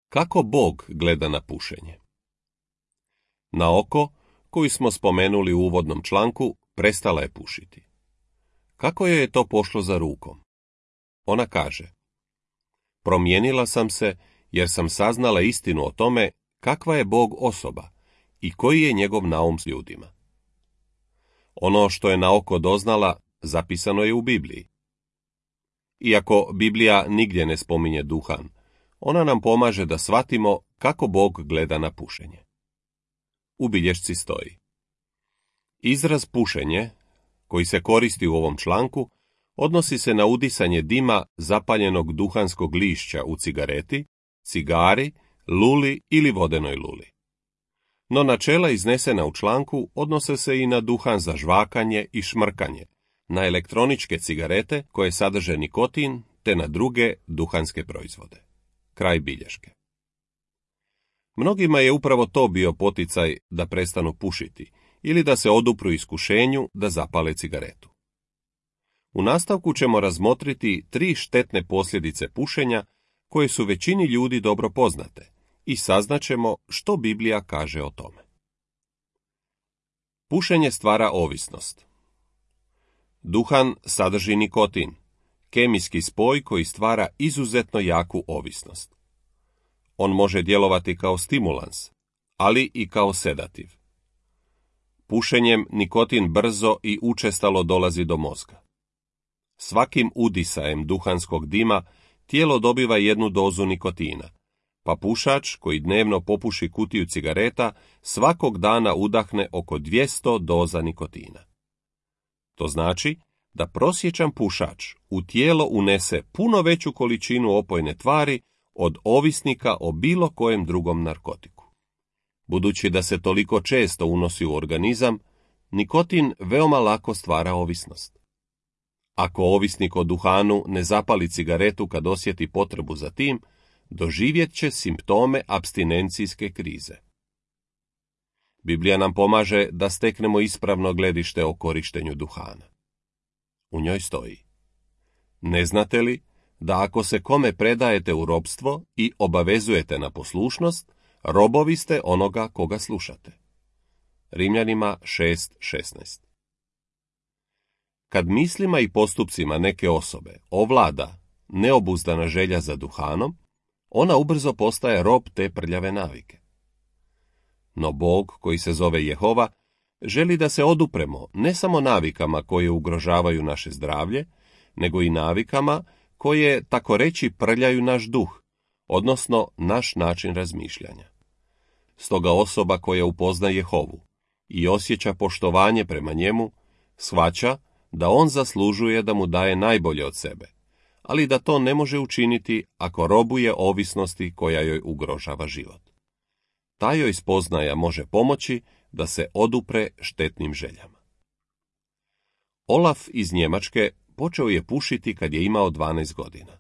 Kako Bog gleda na pušenje? Naoko, koju smo spomenuli u uvodnom članku, prestala je pušiti. Kako joj je to pošlo za rukom? Ona kaže: promijenila sam se jer sam saznala istinu o tome kakva je Bog osoba i koji je njegov naum s ljudima. Ono što je naoko doznala zapisano je u Bibliji. Iako Biblija nigdje ne spominje duhan, ona nam pomaže da shvatimo kako Bog gleda na pušenje. U bilješci stoji: izraz pušenje, koji se koristi u ovom članku, odnosi se na udisanje dima zapaljenog duhanskog lišća u cigareti, cigari, luli ili vodenoj luli. No načela iznesena u članku odnose se i na duhan za žvakanje i šmrkanje, na elektroničke cigarete koje sadrže nikotin, te na druge duhanske proizvode. Kraj bilješke. Mnogima je upravo to bio poticaj da prestanu pušiti ili da se odupru iskušenju da zapale cigaretu. U nastavku ćemo razmotriti 3 štetne posljedice pušenja koje su većini ljudi dobro poznate i saznaćemo što Biblija kaže o tome. Pušenje stvara ovisnost. Duhan sadrži nikotin, kemijski spoj koji stvara izuzetno jaku ovisnost. On može djelovati kao stimulans, ali i kao sedativ. Pušenjem nikotin brzo i učestalo dolazi do mozga. Svakim udisajem duhanskog dima tijelo dobiva jednu dozu nikotina, pa pušač koji dnevno popuši kutiju cigareta svakog dana udahne oko 200 doza nikotina. To znači da prosječan pušač u tijelo unese puno veću količinu opojne tvari od ovisnika o bilo kojem drugom narkotiku. Budući da se toliko često unosi u organizam, nikotin veoma lako stvara ovisnost. Ako ovisnik o duhanu ne zapali cigaretu kad osjeti potrebu za tim, doživjet će simptome apstinencijske krize. Biblija nam pomaže da steknemo ispravno gledište o korištenju duhana. U njoj stoji: ne znate li da ako se kome predajete u robstvo i obavezujete na poslušnost, robovi ste onoga koga slušate. Rimljanima 6:16. Kad mislima i postupcima neke osobe ovlada neobuzdana želja za duhanom, ona ubrzo postaje rob te prljave navike. No Bog, koji se zove Jehova, želi da se odupremo ne samo navikama koje ugrožavaju naše zdravlje, nego i navikama koje, tako reći, prljaju naš duh, odnosno naš način razmišljanja. Stoga osoba koja upozna Jehovu i osjeća poštovanje prema njemu, shvaća da on zaslužuje da mu daje najbolje od sebe, ali da to ne može učiniti ako robuje ovisnosti koja joj ugrožava život. Ta joj spoznaja može pomoći da se odupre štetnim željama. Olaf iz Njemačke počeo je pušiti kad je imao 12 godina.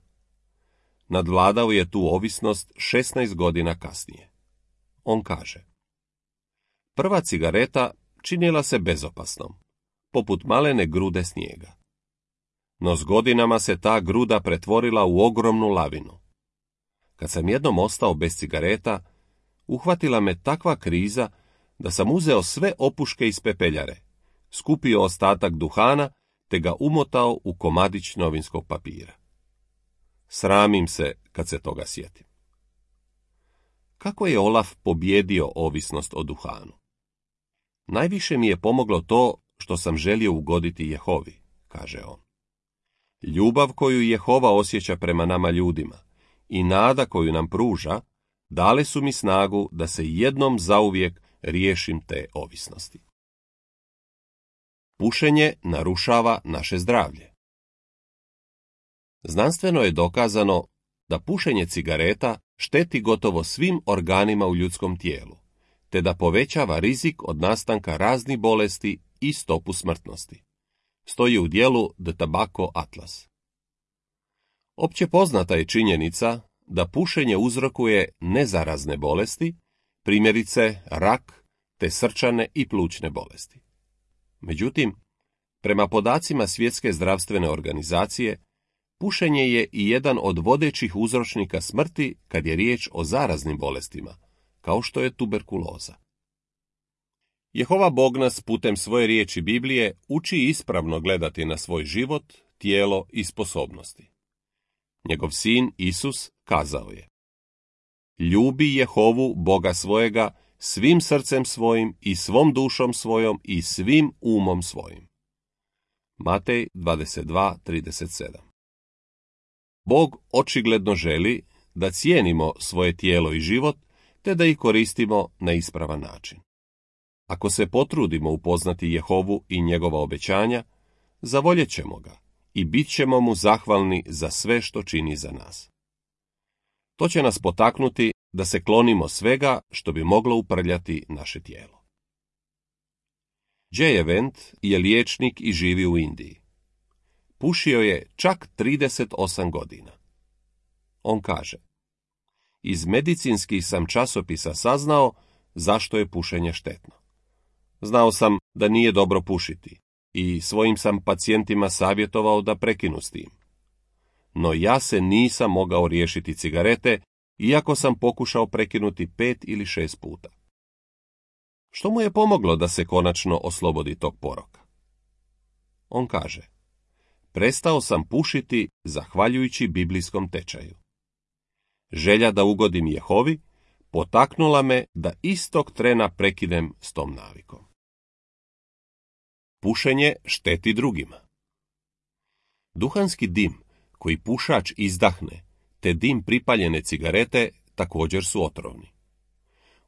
Nadvladao je tu ovisnost 16 godina kasnije. On kaže: prva cigareta činila se bezopasnom, poput malene grude snijega. No s godinama se ta gruda pretvorila u ogromnu lavinu. Kad sam jednom ostao bez cigareta, uhvatila me takva kriza da sam uzeo sve opuške iz pepeljare, skupio ostatak duhana te ga umotao u komadić novinskog papira. Sramim se kad se toga sjetim. Kako je Olaf pobjedio ovisnost o duhanu? Najviše mi je pomoglo to što sam želio ugoditi Jehovi, kaže on. Ljubav koju Jehova osjeća prema nama ljudima i nada koju nam pruža dale su mi snagu da se jednom zauvijek riješim te ovisnosti. Pušenje narušava naše zdravlje. Znanstveno je dokazano da pušenje cigareta šteti gotovo svim organima u ljudskom tijelu, te da povećava rizik od nastanka raznih bolesti i stopu smrtnosti. Stoji u dijelu The Tobacco Atlas. Opće poznata je činjenica da pušenje uzrokuje nezarazne bolesti, primjerice rak, te srčane i plućne bolesti. Međutim, prema podacima Svjetske zdravstvene organizacije, pušenje je i jedan od vodećih uzročnika smrti kad je riječ o zaraznim bolestima, kao što je tuberkuloza. Jehova Bog nas putem svoje riječi Biblije uči ispravno gledati na svoj život, tijelo i sposobnosti. Njegov sin Isus kazao je: ljubi Jehovu Boga svojega svim srcem svojim i svom dušom svojom i svim umom svojim. Matej 22:37. Bog očigledno želi da cijenimo svoje tijelo i život, te da ih koristimo na ispravan način. Ako se potrudimo upoznati Jehovu i njegova obećanja, zavoljet ćemo ga i bit ćemo mu zahvalni za sve što čini za nas. To će nas potaknuti da se klonimo svega što bi moglo uprljati naše tijelo. Jay Event je liječnik i živi u Indiji. Pušio je čak 38 godina. On kaže: iz medicinskih sam časopisa saznao zašto je pušenje štetno. Znao sam da nije dobro pušiti i svojim sam pacijentima savjetovao da prekinu s tim. No ja se nisam mogao riješiti cigarete, iako sam pokušao prekinuti 5 ili 6 puta. Što mu je pomoglo da se konačno oslobodi tog poroka? On kaže: prestao sam pušiti zahvaljujući biblijskom tečaju. Želja da ugodim Jehovi potaknula me da istog trena prekinem s tom navikom. Pušenje šteti drugima. Duhanski dim koji pušač izdahne, te dim pripaljene cigarete također su otrovni.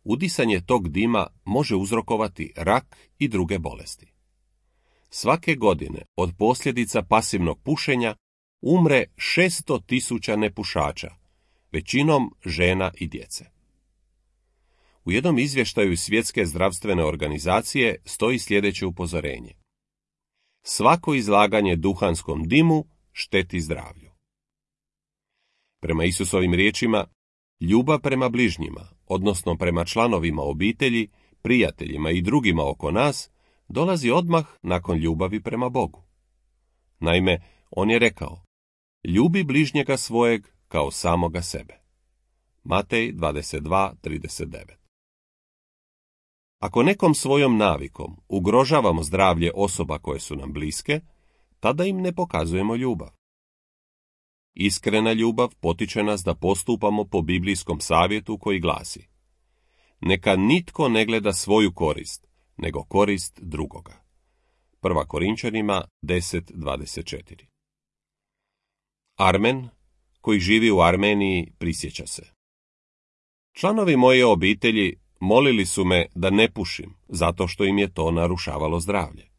Udisanje tog dima može uzrokovati rak i druge bolesti. Svake godine od posljedica pasivnog pušenja umre 600.000 nepušača, većinom žena i djece. U jednom izvještaju Svjetske zdravstvene organizacije stoji sljedeće upozorenje: svako izlaganje duhanskom dimu šteti zdravlju. Prema Isusovim riječima, ljubav prema bližnjima, odnosno prema članovima obitelji, prijateljima i drugima oko nas, dolazi odmah nakon ljubavi prema Bogu. Naime, on je rekao: ljubi bližnjega svojeg kao samoga sebe. Matej 22:39. Ako nekom svojom navikom ugrožavamo zdravlje osoba koje su nam bliske, tada im ne pokazujemo ljubav. Iskrena ljubav potiče nas da postupamo po biblijskom savjetu koji glasi: neka nitko ne gleda svoju korist, nego korist drugoga. 1. Korinčanima 10:24. Armen, koji živi u Armeniji, prisjeća se: članovi moje obitelji molili su me da ne pušim, zato što im je to narušavalo zdravlje.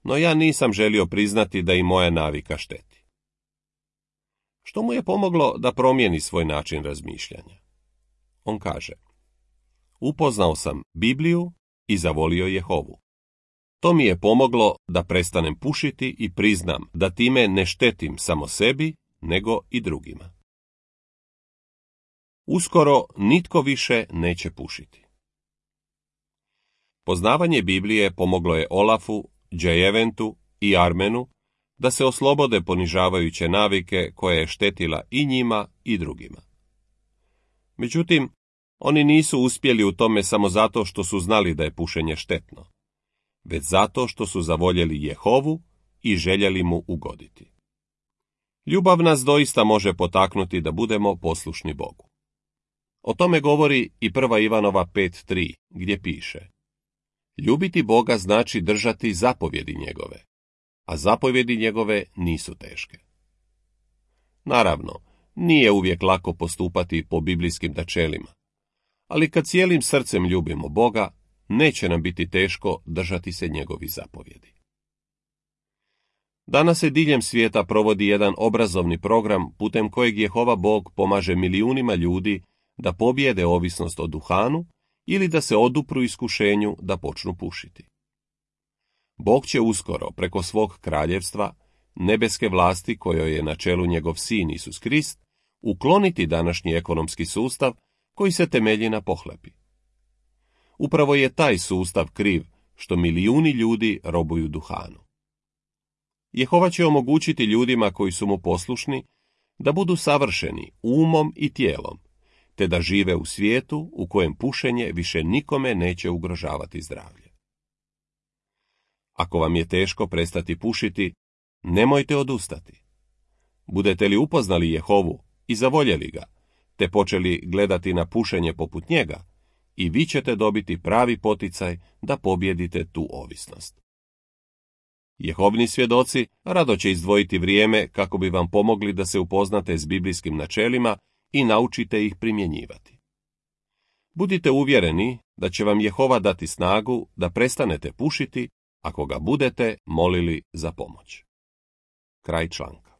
No ja nisam želio priznati da i moja navika šteti. Što mu je pomoglo da promijeni svoj način razmišljanja? On kaže: upoznao sam Bibliju i zavolio Jehovu. To mi je pomoglo da prestanem pušiti i priznam da time ne štetim samo sebi, nego i drugima. Uskoro nitko više neće pušiti. Poznavanje Biblije pomoglo je Olafu, Jay Eventu i Armenu da se oslobode ponižavajuće navike koja je štetila i njima i drugima. Međutim, oni nisu uspjeli u tome samo zato što su znali da je pušenje štetno, već zato što su zavoljeli Jehovu i željeli mu ugoditi. Ljubav nas doista može potaknuti da budemo poslušni Bogu. O tome govori i 1. Ivanova 5:3, gdje piše: ljubiti Boga znači držati zapovjedi njegove, a zapovjedi njegove nisu teške. Naravno, nije uvijek lako postupati po biblijskim načelima, ali kad cijelim srcem ljubimo Boga, neće nam biti teško držati se njegovih zapovjedi. Danas se diljem svijeta provodi jedan obrazovni program putem kojeg Jehova Bog pomaže milijunima ljudi da pobjede ovisnost o duhanu ili da se odupru iskušenju da počnu pušiti. Bog će uskoro preko svog kraljevstva, nebeske vlasti kojoj je na čelu njegov sin Isus Krist, ukloniti današnji ekonomski sustav koji se temelji na pohlepi. Upravo je taj sustav kriv što milijuni ljudi robuju duhanu. Jehova će omogućiti ljudima koji su mu poslušni da budu savršeni umom i tijelom, te da žive u svijetu u kojem pušenje više nikome neće ugrožavati zdravlje. Ako vam je teško prestati pušiti, nemojte odustati. Budete li upoznali Jehovu i zavoljeli ga, te počeli gledati na pušenje poput njega, i vi ćete dobiti pravi poticaj da pobjedite tu ovisnost. Jehovni svjedoci rado će izdvojiti vrijeme kako bi vam pomogli da se upoznate s biblijskim načelima i naučite ih primjenjivati. Budite uvjereni da će vam Jehova dati snagu da prestanete pušiti ako ga budete molili za pomoć. Kraj članka.